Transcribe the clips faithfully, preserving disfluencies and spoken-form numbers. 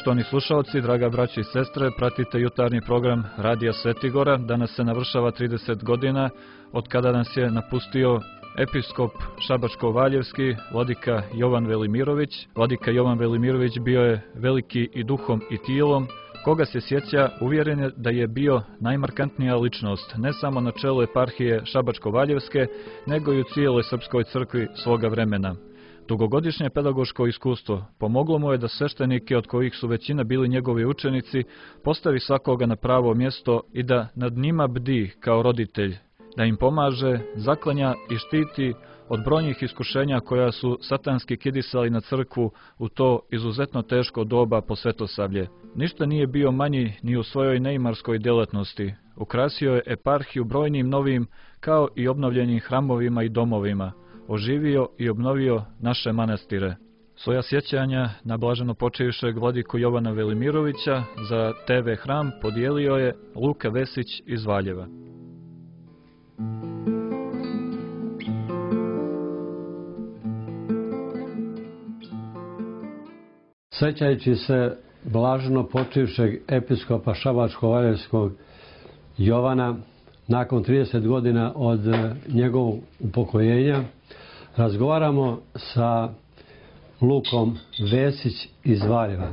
Poštovani slušalci, draga braća i sestre, pratite jutarnji program Radija Svetigora. Danas se navršava trideset godina od kada nas je napustio episkop Šabačko-Valjevski, vladika Jovan Velimirović. Vladika Jovan Velimirović bio je veliki i duhom i tilom. Koga se sjeća, uvjeren je da je bio najmarkantnija ličnost, ne samo na čelu eparhije Šabačko-Valjevske, nego i u cijeloj srpskoj crkvi svoga vremena. Dugogodišnje pedagoško iskustvo pomoglo mu je da sveštenike, od kojih su većina bili njegovi učenici, postavi svakoga na pravo mjesto i da nad njima bdi kao roditelj, da im pomaže, zaklanja i štiti od brojnih iskušenja koja su satanski kidisali na crkvu u to izuzetno teško doba po Svetosavlje. Ništa nije bio manji ni u svojoj neimarskoj djelatnosti. Ukrasio je eparhiju brojnim novim, kao i obnovljenim hramovima i domovima. Oživio i obnovio naše manastire. Svoja sjećanja na blaženo počivšeg vladiku Jovana Velimirovića za te ve Hram podijelio je Luka Vesić iz Valjeva. Sjećajući se blaženo počivšeg episkopa Šabačko-Valjevskog Jovana, nakon trideset godina od njegovog upokojenja, razgovaramo sa Lukom Vesić iz Valjeva.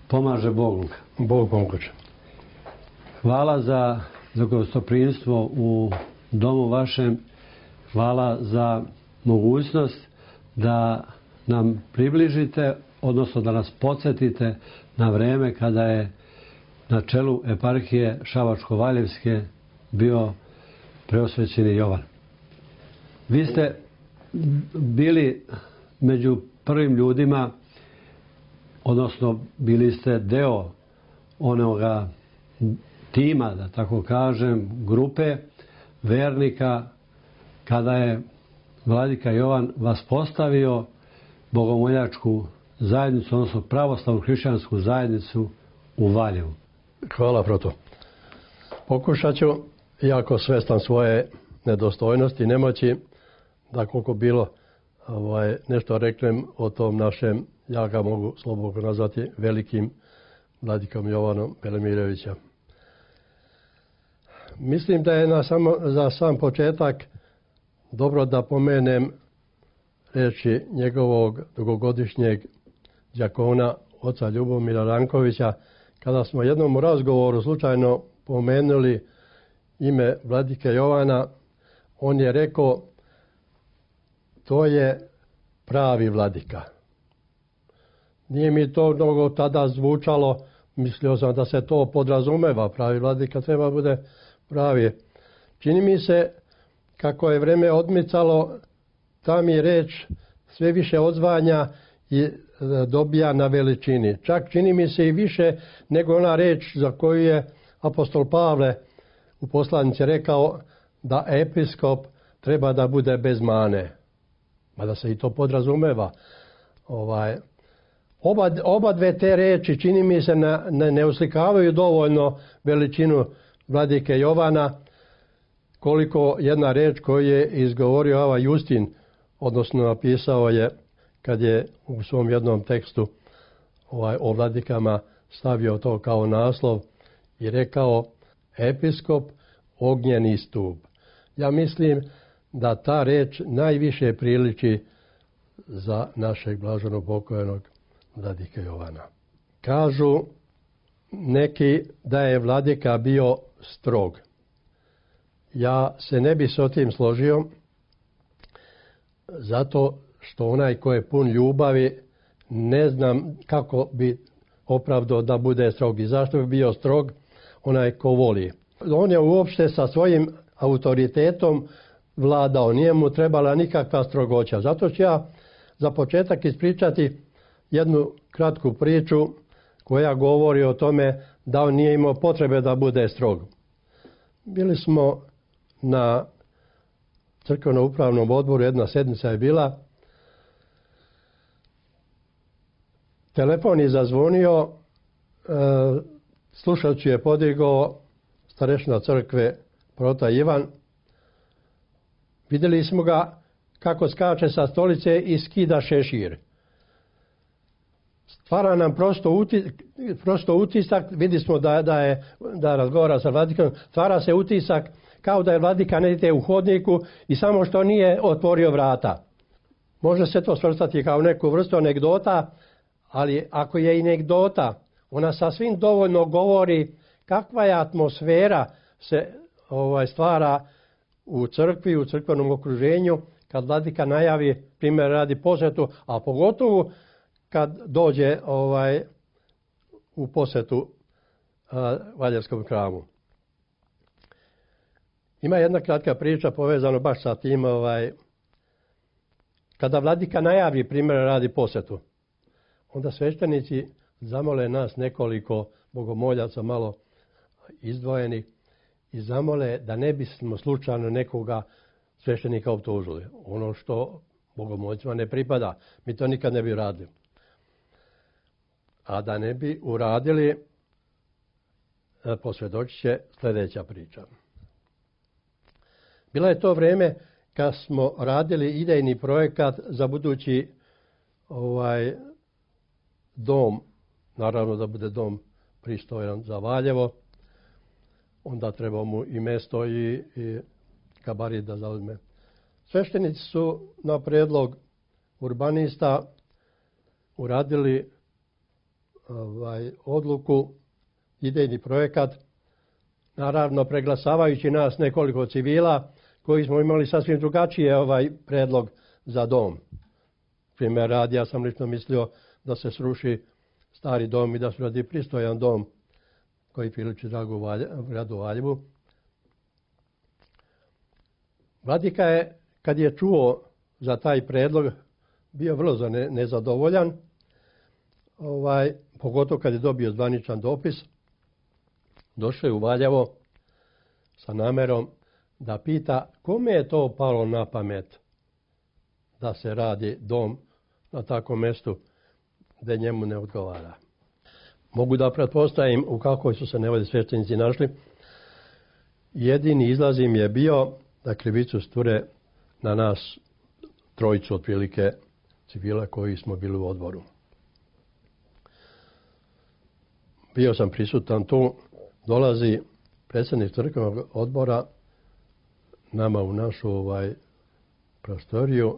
Pomaže Bog, Luka. Bog pomože. Hvala za, za gostoprimstvo u domu vašem. Hvala za mogućnost da nam približite, odnosno da nas podsjetite na vreme kada je na čelu eparhije Šabačko-Valjevske bio preosvećeni Jovan. Vi ste bili među prvim ljudima, odnosno bili ste deo onoga tima, da tako kažem, grupe vernika, kada je vladika Jovan vas postavio bogomoljačku zajednicu, odnosno pravoslavnu hrišćansku zajednicu u Valjevu. Hvala, proto. Pokušat ću, iako svestan svoje nedostojnosti i nemoći, da koliko bilo ovaj, nešto reknem o tom našem, ja ga mogu slobodno nazvati velikim vladikom Jovanom Velimirovića. Mislim da je na samo, za sam početak dobro da pomenem reči njegovog dugogodišnjeg đakona, oca Ljubomira Rankovića, kada smo jednom u razgovoru slučajno pomenuli ime vladike Jovana. On je rekao: to je pravi vladika. Nije mi to mnogo tada zvučalo, mislio sam da se to podrazumeva, pravi vladika treba bude pravi. Čini mi se, kako je vreme odmicalo, ta mi reč sve više odzvanja i dobija na veličini. Čak čini mi se i više nego ona reč za koju je apostol Pavle u poslanici rekao da episkop treba da bude bez mane. Mada se i to podrazumeva. Ovaj, oba, oba dve te reči, čini mi se, na, ne, ne uslikavaju dovoljno veličinu vladike Jovana, koliko jedna reč koju je izgovorio Ava Justin, odnosno napisao je kad je u svom jednom tekstu ovaj, o vladikama stavio to kao naslov i rekao: episkop, ognjeni stup. Ja mislim da ta reč najviše priliči za našeg blaženo pokojnog vladike Jovana. Kažu neki da je vladika bio strog. Ja se ne bi s tim složio, zato što onaj ko je pun ljubavi, ne znam kako bi opravdao da bude strog. I zašto bi bio strog onaj ko voli? On je uopšte sa svojim autoritetom vladao, nije mu trebala nikakva strogoća. Zato ću ja za početak ispričati jednu kratku priču koja govori o tome da on nije imao potrebe da bude strog. Bili smo na crkveno-upravnom odboru, jedna sedmica je bila. Telefon je zazvonio, e, slušač je podigao starešina crkve prota Ivan. Vidjeli smo ga kako skače sa stolice i skida šešir. stvara nam prosto, uti, prosto utisak, vidi smo da, da, je, da razgovara sa Vladikanom, stvara se utisak kao da je Vladika negdje u hodniku i samo što nije otvorio vrata. Može se to svrstati kao neku vrstu anegdota, ali ako je anegdota, ona sasvim dovoljno govori kakva je atmosfera se ovaj, stvara u crkvi, u crkvenom okruženju, kad Vladika najavi, primjer radi posjetu, a pogotovo kad dođe ovaj, u posjetu a, Valjevskom hramu. Ima jedna kratka priča povezana baš sa tim, ovaj, kada Vladika najavi, primjer radi posjetu, onda sveštenici zamole nas nekoliko bogomoljaca malo izdvojeni i zamole da ne bismo slučajno nekoga sveštenika optužili. Ono što bogomoljcima ne pripada. Mi to nikad ne bi radili. A da ne bi uradili, posvjedočit će sljedeća priča. Bilo je to vrijeme kad smo radili idejni projekat za budući ovaj, dom, naravno da bude dom pristojan za Valjevo, onda treba mu i mjesto i, i gabarit da zauzme. Sveštenici su na prijedlog urbanista uradili ovaj, odluku, idejni projekat, naravno preglasavajući nas nekoliko civila koji smo imali sasvim drugačije ovaj predlog za dom. Primjer radi, ja sam lično mislio da se sruši stari dom i da se radi pristojan dom koji priliči dragu gradu Valjevu. Vladika je, kad je čuo za taj predlog, bio vrlo nezadovoljan, ovaj, pogotovo kad je dobio zvaničan dopis. Došao je u Valjevo sa namerom da pita kome je to palo na pamet da se radi dom na takvom mjestu gdje njemu ne odgovara. Mogu da pretpostavim u kakvoj su se nevoli sveštenici našli. Jedini izlaz im je bio da krivicu sture na nas trojicu otprilike civila koji smo bili u odboru. Bio sam prisutan tu, dolazi predsjednik crkvenog odbora nama u našu ovaj, prostoriju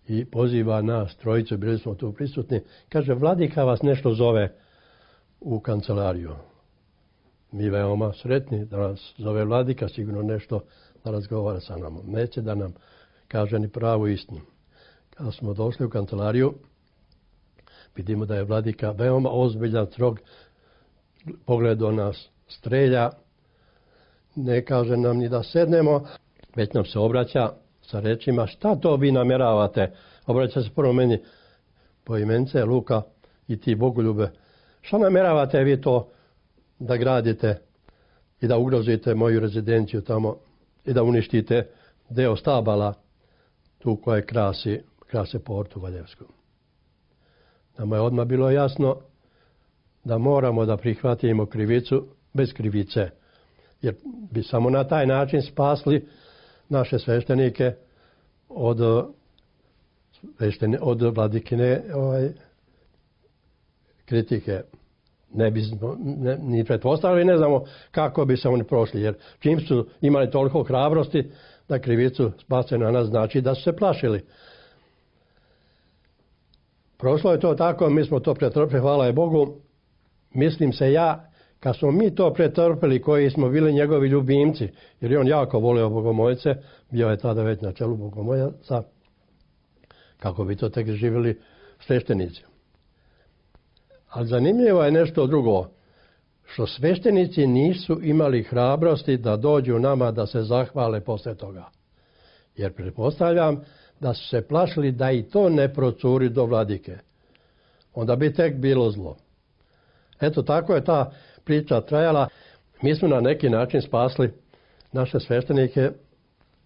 i poziva nas trojicu, bili smo tu prisutni. Kaže, Vladika vas nešto zove u kancelariju. Mi veoma sretni da nas zove Vladika, sigurno nešto da razgovara sa nama. Neće da nam kaže ni pravu istinu. Kada smo došli u kancelariju, vidimo da je Vladika veoma ozbiljan, strog, pogled do nas strelja, ne kaže nam ni da sednemo, već nam se obraća sa rečima, šta to vi namjeravate? Obraća se prvo meni po imence, Luka i ti bogoljube. Šta namjeravate vi to da gradite i da ugrozite moju rezidenciju tamo i da uništite deo stabala tu koje krasi, krase portu Valjevsku? Nama je odmah bilo jasno da moramo da prihvatimo krivicu bez krivice, jer bi samo na taj način spasli naše sveštenike od, sveštene, od Vladikine ovaj, kritike. Ne bi ne, ni pretpostavili, ne znamo kako bi se oni prošli, jer čim su imali toliko hrabrosti da krivicu spase na nas, znači da su se plašili. Prošlo je to tako, mi smo to pretrpili, hvala je Bogu. Mislim se ja, kad smo mi to pretrpili koji smo bili njegovi ljubimci, jer je on jako volio bogomoljice, bio je tada već na čelu bogomoljaca, kako bi to tek živjeli sveštenici. Ali zanimljivo je nešto drugo, što sveštenici nisu imali hrabrosti da dođu nama da se zahvale posle toga. Jer pretpostavljam da su se plašili da i to ne procuri do Vladike. Onda bi tek bilo zlo. Eto, tako je ta priča trajala. Mi smo na neki način spasli naše sveštenike,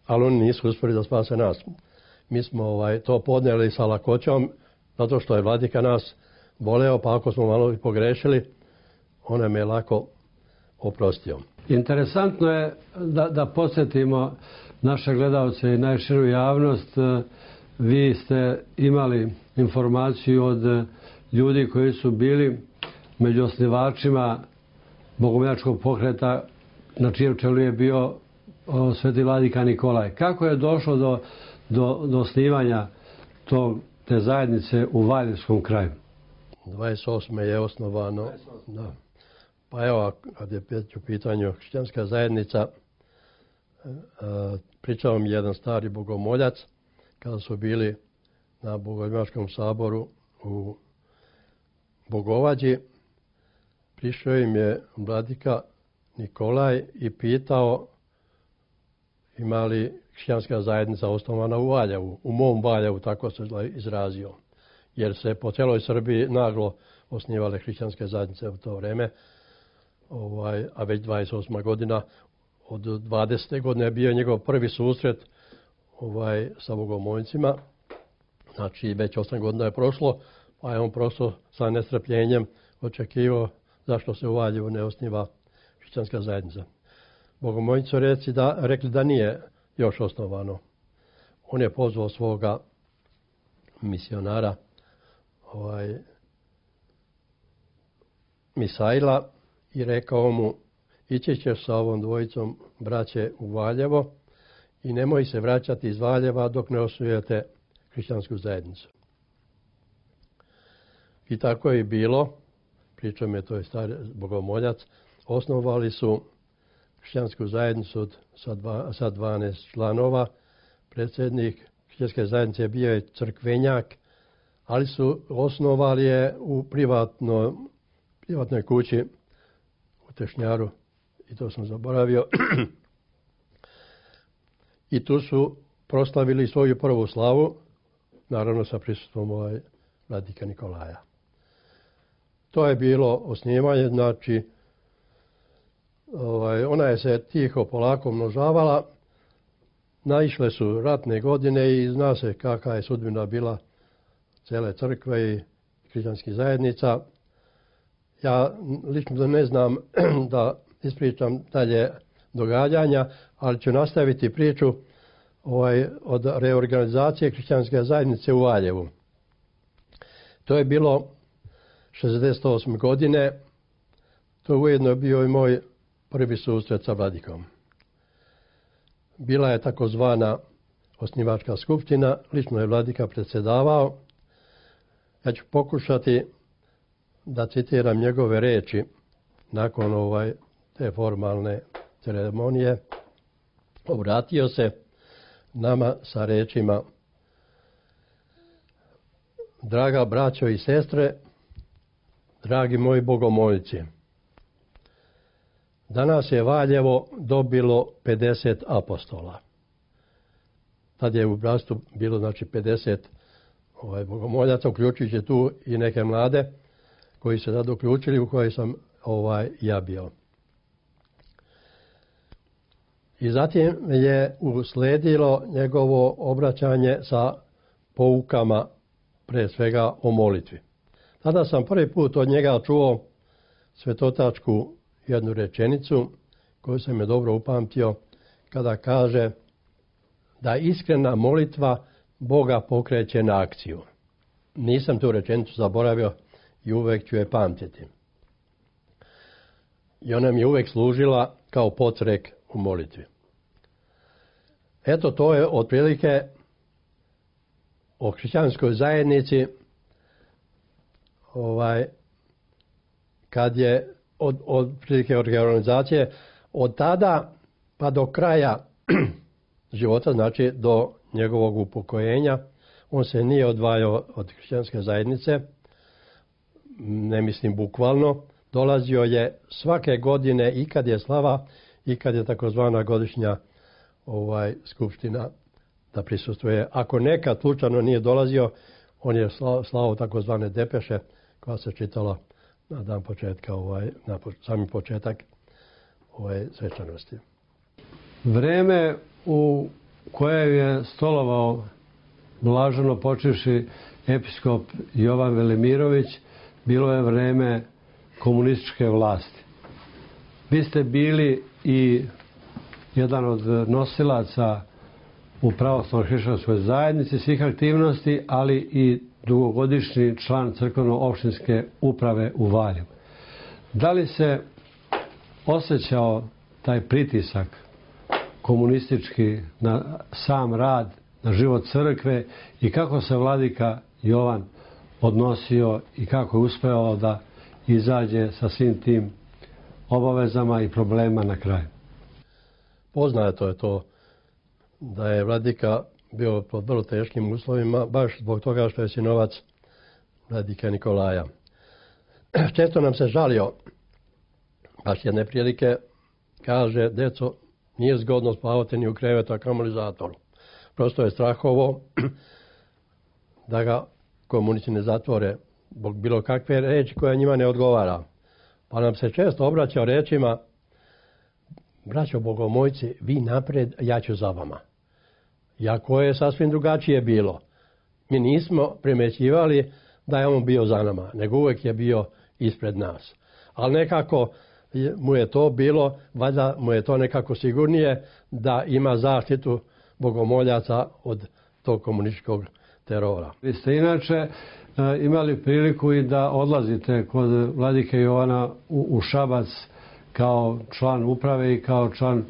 ali oni nisu uspjeli da spase nas. Mi smo ovaj, to podnijeli sa lakoćom, zato što je Vladika nas voleo, pa ako smo malo pogrešili, on nam je lako oprostio. Interesantno je da, da podsjetimo naše gledalce i najširu javnost. Vi ste imali informaciju od ljudi koji su bili među osnivačima bogomoljačkog pokreta na čijem čelu je bio o, sveti vladika Nikolaj. Kako je došlo do, do, do osnivanja tog, te zajednice u Valjevskom kraju? dvadeset osme je osnovano. Da. Pa evo, kad je u pitanju hrišćanska zajednica, pričao mi jedan stari bogomoljac kada su bili na Bogomoljačkom saboru u Bogovađi. Prišao im je vladika Nikolaj i pitao ima li hrišćanska zajednica osnovana u Valjevu, u mom Valjevu, tako se izrazio. Jer se po celoj Srbiji naglo osnivale hrišćanske zajednice u to vreme, ovaj, a već dvadeset osma godina, od dvadesete godine je bio njegov prvi susret ovaj, sa bogomoljcima. Znači, već osam godina je prošlo, pa je on prosto sa nestrpljenjem očekivao zašto se u Valjevu ne osniva hrišćanska zajednica. Bogomoljci su reci da, rekli da nije još osnovano. On je pozvao svoga misionara, ovaj, Misaila, i rekao mu, ići ćeš sa ovom dvojicom braće u Valjevo i nemoj se vraćati iz Valjeva dok ne osnujete hrišćansku zajednicu. I tako je i bilo, pričao mi je to je stari bogomoljac, osnovali su hrišćansku zajednicu od, sa, dva, sa dvanaest članova. Predsjednik hrišćanske zajednice je bio je crkvenjak, ali su osnovali je u privatno, privatnoj kući u Tešnjaru, i to sam zaboravio. I tu su proslavili svoju prvu slavu, naravno sa prisustvom ovaj vladika Nikolaja. To je bilo osnivanje, znači ovaj, ona je se tiho polako množavala, naišle su ratne godine i zna se kakva je sudbina bila cele crkve i hrišćanskih zajednica. Ja lično ne znam da ispričam dalje događanja, ali ću nastaviti priču ovaj, od reorganizacije hrišćanske zajednice u Valjevu. To je bilo šezdeset osme godine. To je ujedno bio i moj prvi susret sa vladikom. Bila je takozvana osnivačka skupština, lično je vladika predsjedavao. Ja ću pokušati da citiram njegove reči nakon ovaj, te formalne ceremonije. Obratio se nama sa rečima: draga braćo i sestre, dragi moji bogomoljci, danas je Valjevo dobilo pedeset apostola. Tad je u bratstvu bilo znači pedeset ovaj, bogomoljaca, uključujući tu i neke mlade koji se tad uključili, u kojoj sam ovaj, ja bio. I zatim je usledilo njegovo obraćanje sa poukama, pre svega o molitvi. Tada sam prvi put od njega čuo svetotačku jednu rečenicu koju sam je dobro upamtio, kada kaže da iskrena molitva Boga pokreće na akciju. Nisam tu rečenicu zaboravio i uvek ću je pamtiti. I ona mi je uvek služila kao podsrek u molitvi. Eto, to je otprilike o hrišćanskoj zajednici, ovaj, kad je od, od prilike organizacije od tada pa do kraja života, znači do njegovog upokojenja, on se nije odvajao od hrišćanske zajednice, ne mislim bukvalno, dolazio je svake godine i kad je slava i kad je takozvana godišnja ovaj, skupština da prisustvuje. Ako nekad slučajno nije dolazio, on je slao, slao takozvane depeše koja se čitala na dan početka, ovaj, na sami početak ovaj, svečanosti. Vreme u kojem je stolovao blaženo počivši episkop Jovan Velimirović bilo je vreme komunističke vlasti. Vi ste bili i jedan od nosilaca u pravoslavnoj hrišćanskoj zajednici svih aktivnosti, ali i dugogodišnji član crkveno-opštinske uprave u Valjevu. Da li se osjećao taj pritisak komunistički na sam rad, na život crkve i kako se vladika Jovan odnosio i kako je uspeo da izađe sa svim tim obavezama i problema na kraju? Poznato je to da je vladika bio pod vrlo teškim uslovima, baš zbog toga što je sinovac vladike Nikolaja. Često nam se žalio, baš jedne prilike, kaže, deco, nije zgodno spavati ni u krevetu, a kamoli zatvoru. Prosto je strahovo da ga komunisti ne zatvore zbog bilo kakve reči koja njima ne odgovara. Pa nam se često obraćao rečima, braćo bogomojci, vi napred, ja ću za vama. Iako je sasvim drugačije bilo. Mi nismo primećivali da je on bio za nama, nego uvijek je bio ispred nas. Ali nekako mu je to bilo, valjda mu je to nekako sigurnije da ima zaštitu bogomoljaca od tog komunističkog terora. Vi ste inače imali priliku i da odlazite kod vladike Jovana u, u Šabac kao član uprave i kao član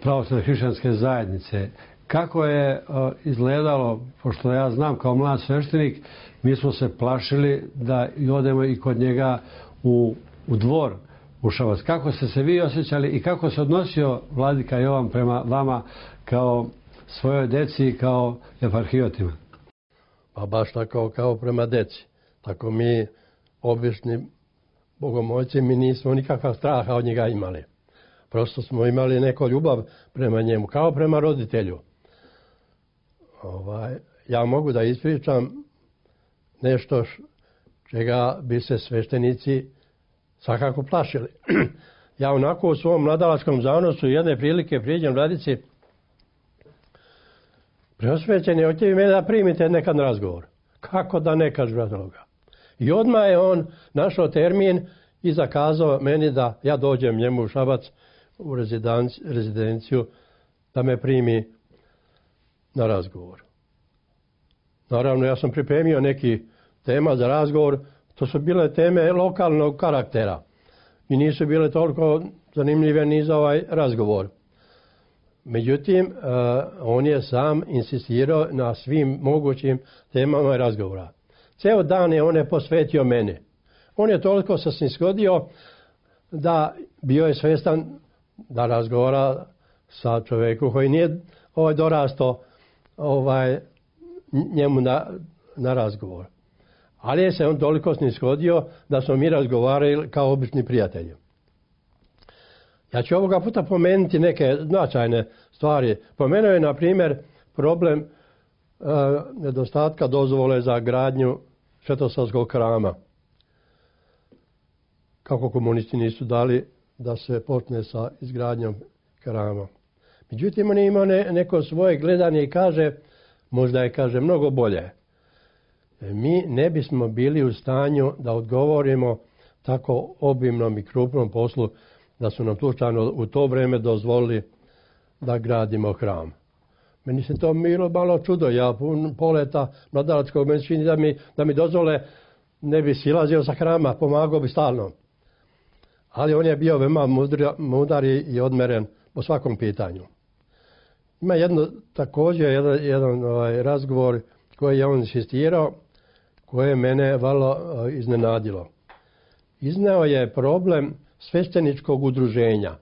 pravoslavne hrišćanske zajednice. Kako je izgledalo, pošto ja znam kao mlad sveštenik, mi smo se plašili da i odemo i kod njega u, u dvor u Šabac. Kako ste se vi osjećali i kako se odnosio vladika Jovan prema vama kao svojoj deci i kao eparhijotima? Pa baš tako kao prema deci. Tako mi, obični bogomolci, mi nismo nikakva straha od njega imali. Prosto smo imali neku ljubav prema njemu, kao prema roditelju. Ovaj, ja mogu da ispričam nešto čega bi se sveštenici svakako plašili. Ja onako u svom mladalačkom zanosu jedne prilike priđem vladici, preosvećeni, hoćete vi mene da primite nekad na razgovor. Kako da ne, kaže bratoga. I odmah je on našao termin i zakazao meni da ja dođem njemu u Šabac u rezidenciju da me primi na razgovor. Naravno, ja sam pripremio neki tema za razgovor. To su bile teme lokalnog karaktera i nisu bile toliko zanimljive ni za ovaj razgovor. Međutim, uh, on je sam insistirao na svim mogućim temama razgovora. Ceo dan je on je posvetio mene. On je toliko se snishodio da bio je svestan da razgovara sa čovjekom koji nije ovaj dorastao ovaj, njemu na, na razgovor. Ali je se on toliko snishodio da smo mi razgovarali kao obični prijatelji. Ja ću ovoga puta pomenuti neke značajne stvari. Pomenuo je, na primjer, problem e, nedostatka dozvole za gradnju Svetosavskog hrama. Kako komunisti nisu dali da se počne sa izgradnjom hrama. Međutim, on je imao ne, neko svoje gledanje i kaže, možda je, kaže, mnogo bolje. Mi ne bismo bili u stanju da odgovorimo tako obimnom i krupnom poslu da su nam slučajno u to vrijeme dozvolili da gradimo hram. Meni se to bilo malo čudo. Ja pun poleta mladalačkog meni čini da mi, da mi dozvole, ne bi silazio sa hrama, pomagao bi stalno. Ali on je bio veoma mudar i odmeren po svakom pitanju. Ima jedno, također jedan, jedan ovaj, razgovor koji je on insistirao, koje je mene vrlo uh, iznenadilo. Izneo je problem svešteničkog udruženja.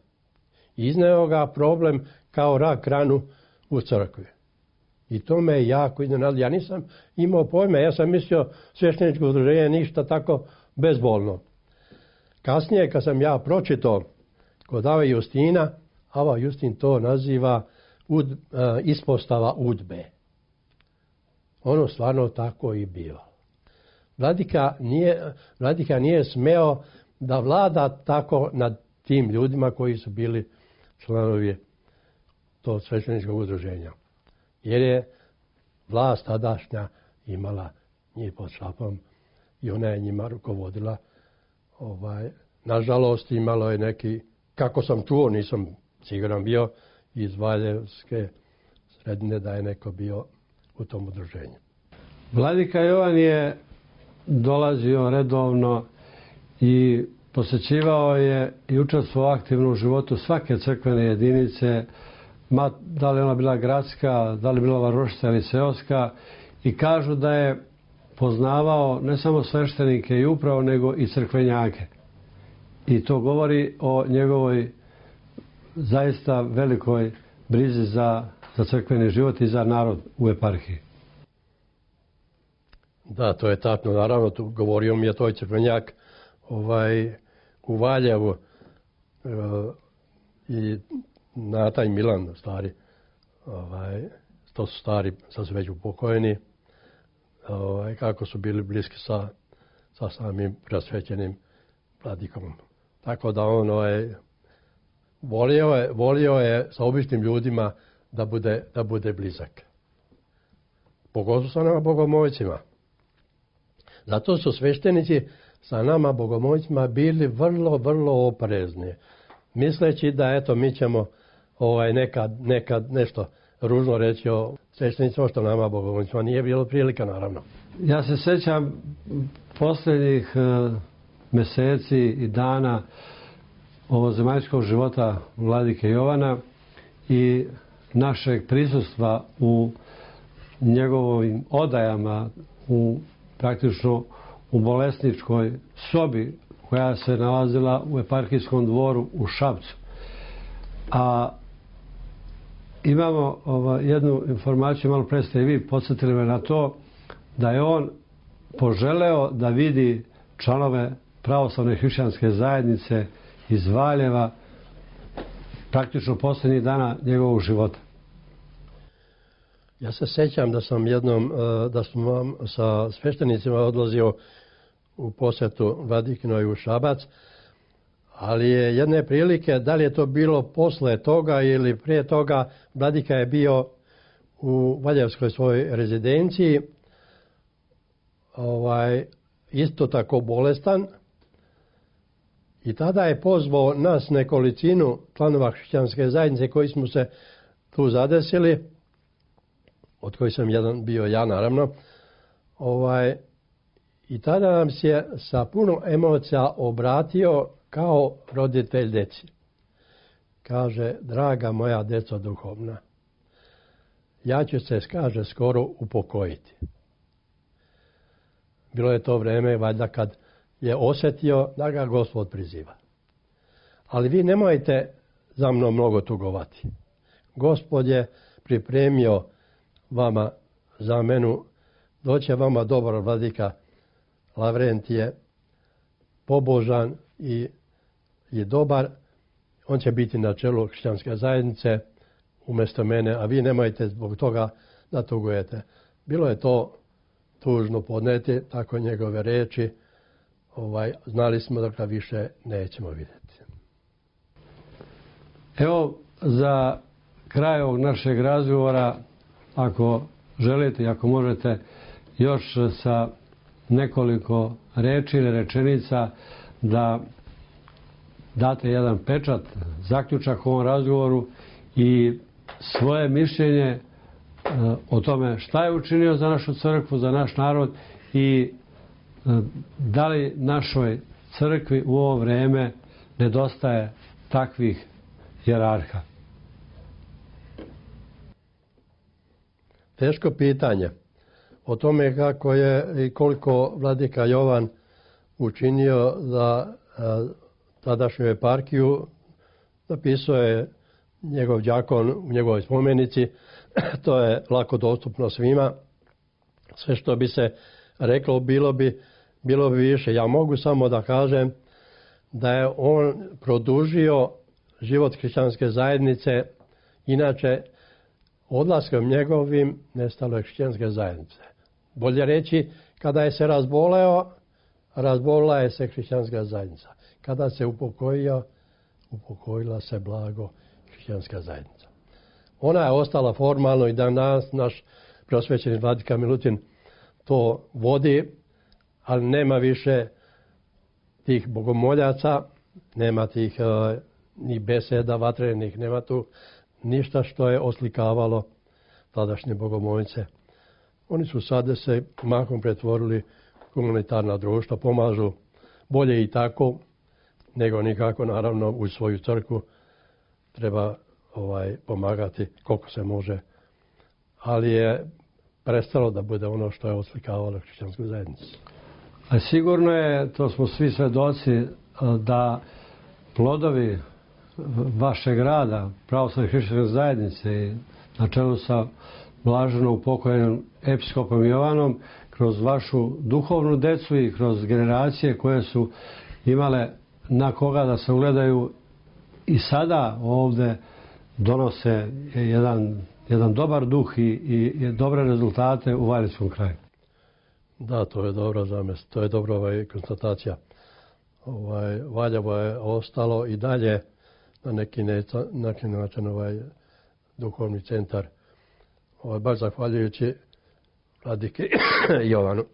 Izneo ga problem kao rak ranu u crkvi. I to me je jako iznenadilo. Ja nisam imao pojma, ja sam mislio svešteničko udruženje ništa tako bezbolno. Kasnije, kad sam ja pročitao kod Ave Justina, Ava Justin to naziva ud, uh, ispostava udbe. Ono stvarno tako i bilo. Vladika nije, vladika nije smeo da vlada tako nad tim ljudima koji su bili članovi tog svešteničkog udruženja. Jer je vlast tadašnja imala njih pod šapom i ona je njima rukovodila. Ovaj, nažalost, imalo je neki, kako sam čuo, nisam siguran bio, iz Valjevske sredine da je neko bio u tom udruženju. Vladika Jovan je dolazio redovno i posećivao je i učestvovao aktivno u životu svake crkvene jedinice, ma, da li ona bila gradska, da li bila varošica ili seoska, i kažu da je poznavao ne samo sveštenike i upravo, nego i crkvenjake. I to govori o njegovoj zaista velikoj brizi za, za crkveni život i za narod u eparhiji. Da, to je tačno. Naravno, tu govorio mi je toj crkvenjak ovaj, u Valjevu e, i Nata i Milan, stari, ovaj, to su stari, sad su već upokojeni, ovaj, kako su bili bliski sa, sa samim preosvećenim vladikom. Tako da on ovaj, volio, je, volio je sa običnim ljudima da bude, da bude blizak. Pogotovo sa nama bogomolcima. Zato su sveštenici sa nama bogomolcima bili vrlo, vrlo oprezni. Misleći da eto mi ćemo ovaj, nekad, nekad nešto ružno reći o sveštenicima što nama bogomolcima nije bilo prilika, naravno. Ja se sećam posljednjih uh, meseci i dana ovozemaljskog života vladike Jovana i našeg prisustva u njegovim odajama, u praktično u bolesničkoj sobi koja se nalazila u eparhijskom dvoru u Šapcu. A imamo ova, jednu informaciju, malo pre ste i vi podsjetili me na to, da je on poželeo da vidi članove pravoslavne hrišćanske zajednice iz Valjeva praktično posljednjih dana njegovog života. Ja se sećam da sam jednom, da sam sa sveštenicima odlazio u posjetu Vladikinoj u Šabac, ali je jedne prilike, da li je to bilo posle toga ili prije toga, Vladika je bio u Valjevskoj svojoj rezidenciji, ovaj, isto tako bolestan, i tada je pozvao nas nekolicinu članova hrišćanske zajednice koji smo se tu zadesili, od kojih sam jedan bio ja, naravno, ovaj, i tada nam se sa puno emocija obratio kao roditelj deci. Kaže, draga moja deco duhovna, ja ću se, kaže, skoro upokojiti. Bilo je to vreme, valjda, kad je osjetio da ga Gospod priziva. Ali vi nemojte za mnom mnogo tugovati. Gospod je pripremio vama zamenu, doće vama dobar vladika Lavrentije, pobožan i, i dobar, on će biti na čelu hrišćanske zajednice umjesto mene, a vi nemojte zbog toga da tugujete. Bilo je to tužno podneti, tako njegove reči, ovaj, znali smo da ga više nećemo vidjeti. Evo, za kraj ovog našeg razgovora, ako želite i ako možete još sa nekoliko reči ili rečenica da date jedan pečat, zaključak u ovom razgovoru i svoje mišljenje o tome šta je učinio za našu crkvu, za naš narod i da li našoj crkvi u ovo vreme nedostaje takvih hijerarha. Teško pitanje. O tome kako je i koliko vladika Jovan učinio za a, tadašnju eparhiju, napisao je njegov đakon u njegovoj spomenici. To je lako dostupno svima. Sve što bi se reklo bilo bi, bilo bi više. Ja mogu samo da kažem da je on produžio život hrišćanske zajednice, inače odlaskom njegovim nestalo je hrišćanske zajednice. Bolje reći, kada je se razboleo, razbolila je se hrišćanska zajednica. Kada se upokojio, upokojila se blago hrišćanska zajednica. Ona je ostala formalno i danas naš preosvećeni vladika Milutin to vodi, ali nema više tih bogomoljaca, nema tih uh, ni beseda vatrenih, nema tu ništa što je oslikavalo tadašnje bogomoljice. Oni su sada se mahom pretvorili humanitarna društva, pomažu bolje i tako, nego nikako naravno u svoju crkvu treba ovaj pomagati koliko se može. Ali je prestalo da bude ono što je oslikavalo hrišćansku zajednicu. A sigurno je, to smo svi svedoci, da plodovi vašeg rada, pravoslavne hrišćanske zajednice, na čelu sa blaženo upokojenim episkopom Jovanom, kroz vašu duhovnu decu i kroz generacije koje su imale na koga da se ugledaju i sada ovde donose jedan, jedan dobar duh i, i, i dobre rezultate u Valjevskom kraju. Da, to je dobro zamest, to je dobro ovaj, konstatacija. Ovaj, Valjevo je ostalo i dalje na neki, neca, neki način ovaj, duhovni centar. Ovaj, baš zahvaljujući vladiki Jovanu,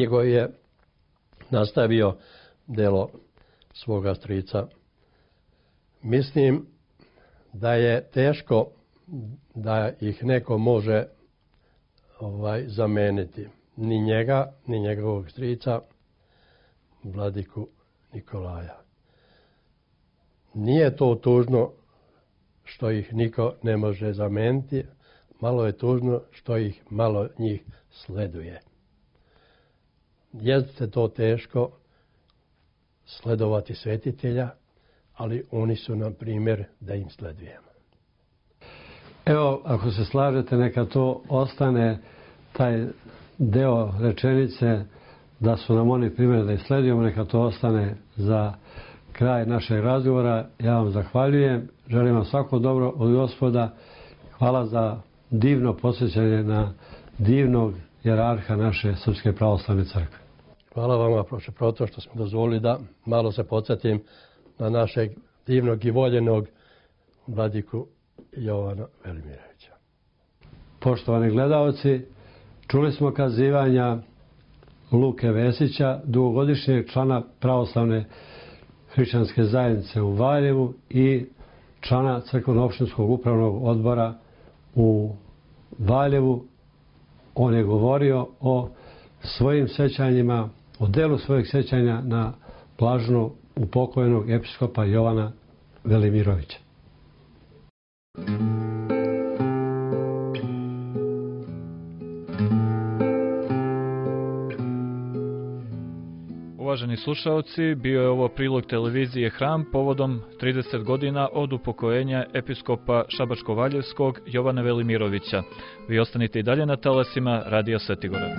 koji je nastavio delo svoga strica. Mislim da je teško da ih neko može ovaj, zameniti. Ni njega, ni njegovog strica, vladiku Nikolaja. Nije to tužno što ih niko ne može zameniti, malo je tužno što ih malo njih sleduje. Jeste to teško sledovati svetitelja, ali oni su nam primjer da im sledujemo. Evo, ako se slažete, neka to ostane taj deo rečenice da su nam oni primjer da ih sledujemo, neka to ostane za kraj našeg razgovora. Ja vam zahvaljujem, želim vam svako dobro od Gospoda. Hvala za divno posjećanje na divnog jerarha naše Srpske pravoslavne crkve. Hvala vama, proče proto, što smo dozvolili da malo se podsjetim na našeg divnog i voljenog vladiku Jovana Velimirovića. Poštovani gledaoci, čuli smo kazivanja Luke Vesića, dugogodišnjeg člana pravoslavne hrišćanske zajednice u Valjevu i člana crkveno-opštinskog upravnog odbora u Valjevu. On je govorio o svojim sećanjima, o delu svojeg sećanja na blaženo upokojenog episkopa Jovana Velimirovića. Uvaženi slušaoci, bio je ovo prilog televizije Hram povodom trideset godina od upokojenja episkopa Šabačko-Valjevskog Jovana Velimirovića. Vi ostanite i dalje na talasima Radija Svetigora.